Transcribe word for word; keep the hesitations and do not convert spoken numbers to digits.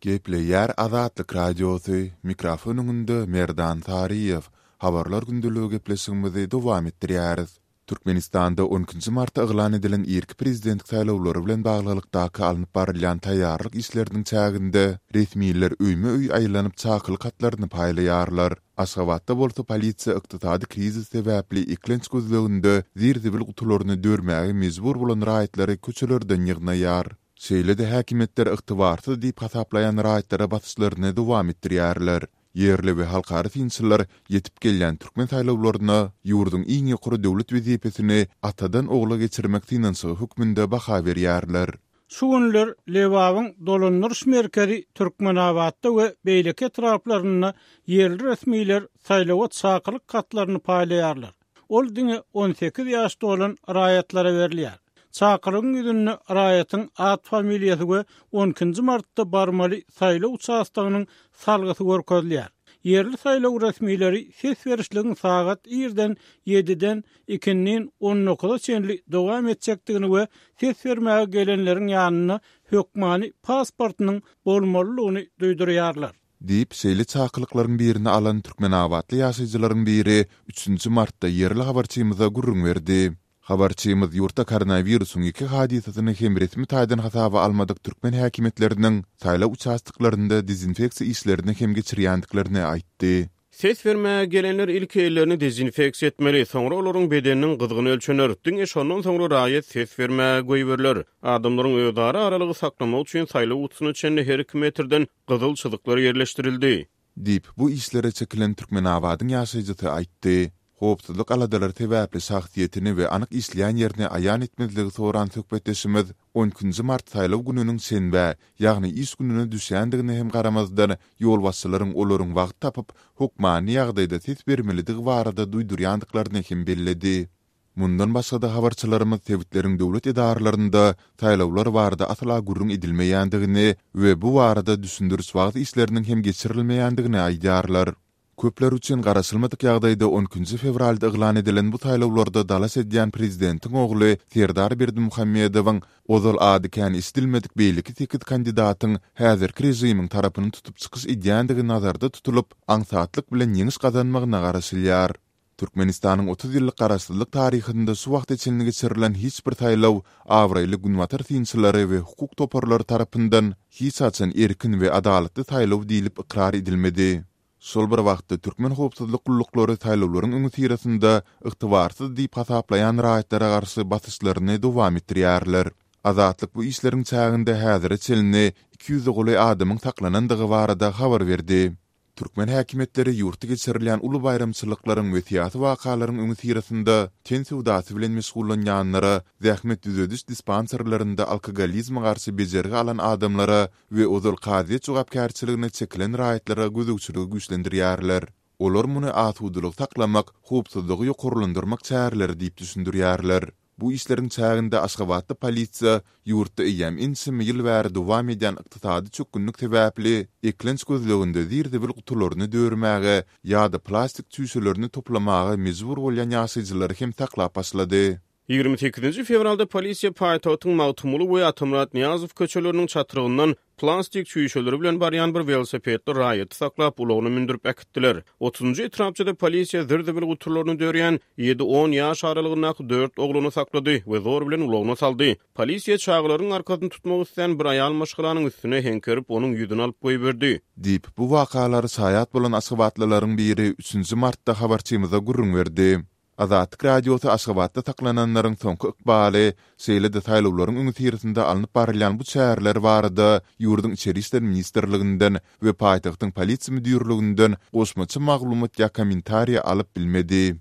Gepleýär Azatlyk Radiosy, mikrofon öňünde Merdan Saryýew. Habarlar gündeligi gepleşigimizi dowam etdirýäris. Türkmenistanda on ikinji martda yglan edilen irki prezidentlik saýlawlary bilen baglylykdaky alnyp barylýan taýýarlyk işleriniň çäginde resmiler öýme-öý aýlanyp çakylyk hatlaryny paýlaýarlar. Aşgabatda bolsa polisiýa ykdysady krizis sebäpli eklenç gözleginde zir-zibil gutularyny dörmäge mejbur bolan raýatlary köçelerden ýygnaýar. Şeýle-de häkimiýetler ygtybarsyz diýip hasaplaýan raýatlara basyşlaryny dowam etdirýärler. Ýerli we halkara synçylar ýetip gelýän türkmen saýlawlaryna ýurduň iň ýokary döwlet wezipesini atadan ogla geçirmek synanyşygy hökmünde baha berýärler. Şu günler Lebabyň dolandyryş merkezi Türkmenabatda we beýleki etraplarynda ýerli resmiler saýlawa çakylyk hatlaryny paýlaýarlar. Ol diňe on sekiz ýaş dolan raýatlara berilýär. Çakylygyň ýüzünde raýatyň at-familiýasy we on ikinji martda barmaly saýlaw uçastogynyň salgysy görkezilýär. Ýerli saýlaw resmileri ses berişligiň sagat irden ýediden ikindin on dokuza çenli dowam etjekdigini we ses bermäge gelenleriň ýanynda hökmany pasportynyň bolmalydygyny duýdurýarlar. Diýip, şeýle çakylyklaryň birini alan türkmenabatly ýaşaýjylaryň biri üçünji martda ýerli habarçymyza gürrüň berdi. Habarçymyz ýurtda koronawirusyň iki hadysasyny hem resmi taýdan hasaba almadyk türkmen häkimiýetleriniň saýlaw uçastoklarynda dezinfeksiýa işlerini hem geçirýändiklerini aýtdy. Ses bermäge gelenler ilki ellerini dezinfeksiýa etmeli, soňra olaryň bedeniniň gyzgyny ölçener. Diňe şondan soňra raýat ses bermäge goýberiler. Adamlaryň özara aralygy saklamak üçin saýlaw gutusyna çenli her iki metrden gyzyl çyzyklar ýerleşdirildi. Diýip, bu işlere çekilen Türkmenabadyň ýaşaýjysy aýtdy. Howpsuzlyk aladalary sebäpli şahsyýetini we anyk işleýän ýerini aýan etmezligi soran söhbetdeşimiz on ikinji mart saýlaw gününiň şenbä, ýagny iş gününe düşýändigine hem garamazdan, ýolbaşçylaryň olaryň wagt tapyp, hökmany ýagdaýda ses bermelidigi barada duýdurýandyklaryny hem belledi. Mundan başga-da habarçylarymyz sebitleriň döwlet edaralarynda saýlawlar barada asla gürrüň edilmeýändigini we bu barada düşündiriş-wagyz işleriniň hem geçirilmeýändigini aýdýarlar. Köpler üçin garaşylmadyk ýagdaýda on ikinji fewralda yglan edilen bu saýlawlarda dalaş edýän prezidentiň ogly Serdar Berdimuhamedowyň ozal ady kän eşidilmedik beýleki sekiz kandidatyň häzirki režimiň tarapyny tutup çykyş edýändigi nazarda tutulyp, aňsatlyk bilen ýeňiş gazanmagyna garaşylýar. Türkmenistanyň otuz ýyllyk garaşsyzlyk taryhynda şu wagta çenli geçirilen hiç bir saýlaw abraýly günbatar synçylary we hukuk toparlary tarapyndan hiç haçan erkin we adalatly saýlaw diýlip ykrar edilmedi. Şol bir wagtda türkmen howpsuzlyk gulluklary saýlawlaryň öňüsyrasynda ygtybarsyz diýip hasaplaýan raýatlara garşy basyşlaryny dowam etdirýärler. Azatlyk bu işleriň çäginde häzire çenli iki ýüze golaý adamyň saklanandygy barada habar berdi. Türkmen häkimiýetleri ýurtda geçirilýän uly baýramçylyklaryň we syýasy wakalaryň öňüsyrasynda ten söwdasy bilen meşgullanýanlara, zähmet düzediş dispanserlerinde alkogolizme garşy bejergi alan adamlara we ozal kazyýet jogapkärçiligine çekilen raýatlara gözegçiligi güýçlendirýärler. Olar muny asudalygy saklamak, howpsuzlygy ýokarlandyrmak çäreleri diýip düşündirýärler. Bu işleriň çäginde Aşgabatda polisiýa ýurtda eýýäm ençeme ýyl bäri dowam edýän ykdysady çökgünlik sebäpli eklenç gözleginde zir-zibil gutularyny dörmäge ýa-da plastik çüýşelerini toplamaga mejbur bolýan ýaşaýjylary hem saklap başlady. Ýigrimi sekizinji fewralda polisiýa paýtagtyň Magtymguly we Atamyrat Nyýazow köçeleriniň çatrygyndan plastik çüýşeleri bilen barýan bir welosipedli raýaty saklap, ulagyna mündürip äkitdiler. Otuzynjy etrapçada polisiýa zir-zibil gutularyny dörýän ýedi-on ýaş aralygyndaky dört oglany saklady we zor bilen ulagyna saldy. Polisiýa çagalaryň arkasyny tutmak islän bir aýal maşgalanyň üstüne heňkerip, onuň ýüzüni alyp goýberdi. Diýip, bu wakalara şaýat bolan aşgabatlylaryň biri üçünji martda habarçymyza gürrüň berdi. Azatlyk Radiosy Aşgabatda saklananlaryň soňky ykbaly, şeýle-de saýlawlaryň öňüsyrasynda alnyp barylýan bu çäreler barada ýurduň Içeri işler ministrliginden we paýtagtyň polisiýa müdirliginden goşmaça maglumat ýa kommentariýa alyp bilmedi.